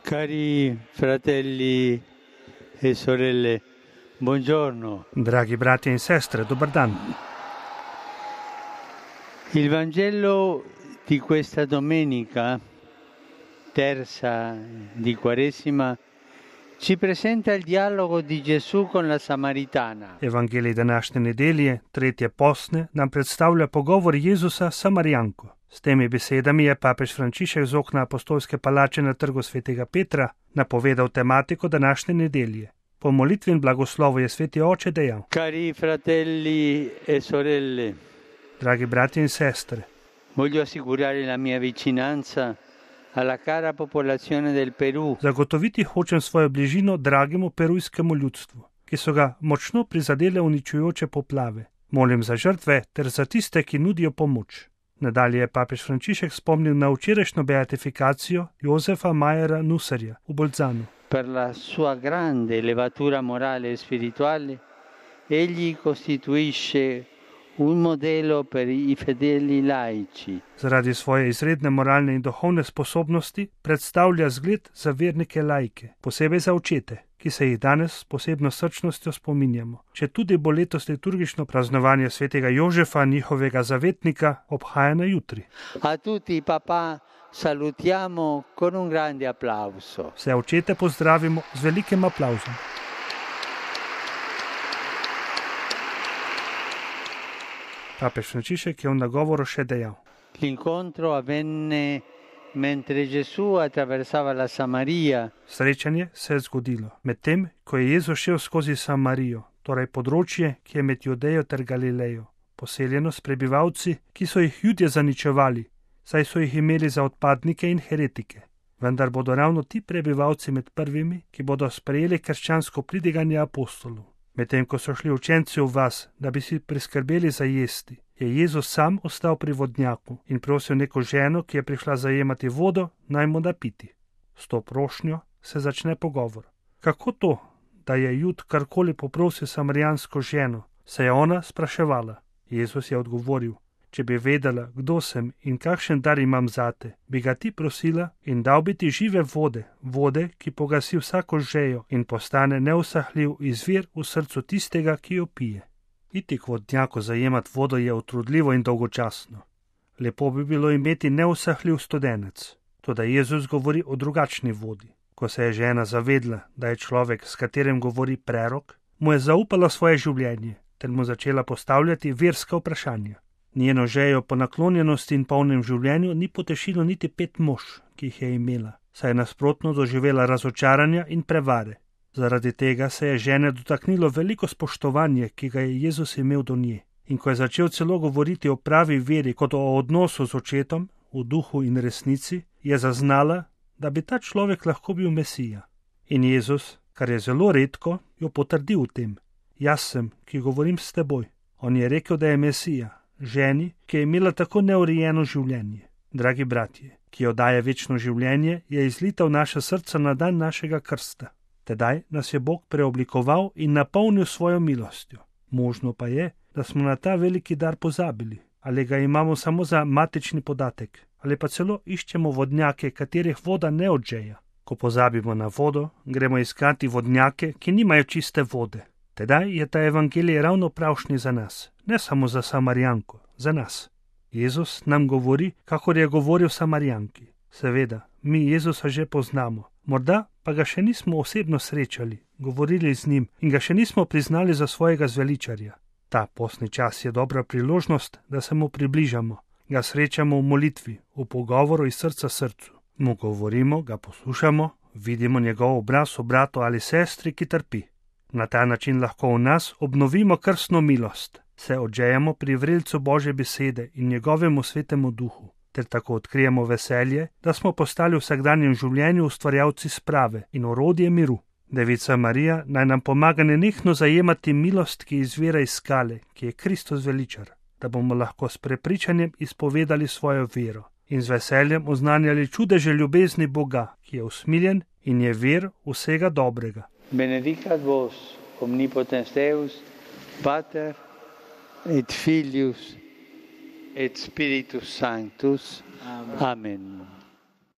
Cari fratelli e sorelle, buongiorno. Dragi bratje in sestre, dober dan. Il Vangelo di questa domenica, terza di Quaresima, ci presenta il dialogo di Gesù con la Samaritana. Evangelij današnje nedelje, tretje postne, nam predstavlja pogovor Jezusa s Samarijanko. S temi besedami je papež Frančišek z okna apostolske palače na trgu svetega Petra napovedal tematiko današnje nedelje. Po molitvi in blagoslovu je sveti oče dejal: Cari fratelli e sorelle, dragi bratje in sestre, voglio assicurare la mia vicinanza alla cara popolazione del Perù. Zagotoviti hočem svojo bližino dragemu perujskemu ljudstvu, ki so ga močno prizadele uničujoče poplave. Molim za žrtve ter za tiste, ki nudijo pomoč. Nadalje je papež Frančišek spomnil na včerajšnjo beatifikacijo Josefa Majera Nusarja v Bolzanu. Per la sua grande levatura morale e spirituale, egli costituisce un modello per i fedeli laici. Zaradi svoje izredne moralne in duhovne sposobnosti predstavlja zgled za vernike laike, posebej za očete, ki se jih danes s posebno srčnostjo spominjamo. Če tudi bo letos liturgično praznovanje svetega Jožefa, njihovega zavetnika, obhajano jutri. A tutti papà salutiamo con un grande applauso. Vse očete pozdravimo z velikim aplavzom. Papež Frančišek je v nagovoru še dejal: L'incontro avvenne mentre Gesù attraversava la Samaria. Srečanje se je zgodilo medtem, ko je Jezus šel skozi Samarijo, torej področje, ki je med Judejo ter Galilejo, poseljeno s prebivalci, ki so jih Judje zaničevali, saj so jih imeli za odpadnike in heretike. Vendar bodo ravno ti prebivalci med prvimi, ki bodo sprejeli krščansko pridiganje apostolov. Medtem ko so šli učenci v vas, da bi si priskrbeli za jesti, je Jezus sam ostal pri vodnjaku in prosil neko ženo, ki je prišla zajemati vodo, naj mu da piti. S to prošnjo se začne pogovor. Kako to, da je Jud karkoli poprosil samarijansko ženo, se je ona spraševala. Jezus je odgovoril: če bi vedela, kdo sem in kakšen dar imam zate, bi ga ti prosila in dal bi ti žive vode, vode, ki pogasi vsako žejo in postane neusahljiv izvir v srcu tistega, ki jo pije. Iti k vodnjaku zajemat vodo je utrudljivo in dolgočasno. Lepo bi bilo imeti neusahljiv studenec. Toda Jezus govori o drugačni vodi. Ko se je žena zavedla, da je človek, s katerim govori prerok, mu je zaupala svoje življenje ter mu začela postavljati verska vprašanja. Njeno žejo po naklonjenosti in polnem življenju ni potešilo niti 5 mož, ki jih je imela, saj je nasprotno doživela razočaranja in prevare. Zaradi tega se je žene dotaknilo veliko spoštovanje, ki ga je Jezus imel do nje. In ko je začel celo govoriti o pravi veri kot o odnosu z očetom, v duhu in resnici, je zaznala, da bi ta človek lahko bil Mesija. In Jezus, kar je zelo redko, jo potrdil v tem. Jaz sem, ki govorim s teboj. On je rekel, da je Mesija, ženi, ki je imela tako neurejeno življenje. Dragi bratje, ki jo daje večno življenje, je izlita v naše srca na dan našega krsta. Tedaj nas je Bog preoblikoval in napolnil svojo milostjo. Možno pa je, da smo na ta veliki dar pozabili, ali ga imamo samo za matični podatek, ali pa celo iščemo vodnjake, katerih voda ne odžeja. Ko pozabimo na vodo, gremo iskati vodnjake, ki nimajo čiste vode. Tedaj je ta evangelij ravno pravšnji za nas, ne samo za Samarijanko, za nas. Jezus nam govori, kakor je govoril Samarijanki. Seveda, mi Jezusa že poznamo, morda pa ga še nismo osebno srečali, govorili z njim in ga še nismo priznali za svojega zveličarja. Ta postni čas je dobra priložnost, da se mu približamo, ga srečamo v molitvi, v pogovoru iz srca srcu. Mu govorimo, ga poslušamo, vidimo njegov obraz v bratu ali sestri, ki trpi. Na ta način lahko v nas obnovimo krstno milost, se odžejemo pri vrelcu Božje besede in njegovemu svetemu duhu, ter tako odkrijemo veselje, da smo postali v vsakdanjem življenju ustvarjalci sprave in orodje miru. Devica Marija naj nam pomaga nenehno zajemati milost, ki izvira iz skale, ki je Kristus veličar, da bomo lahko s prepričanjem izpovedali svojo vero in z veseljem oznanjali čudeže ljubezni Boga, ki je usmiljen in je vir vsega dobrega. Benedicat vos, omnipotens Deus, Pater et Filius et Spiritus Sanctus. Amen.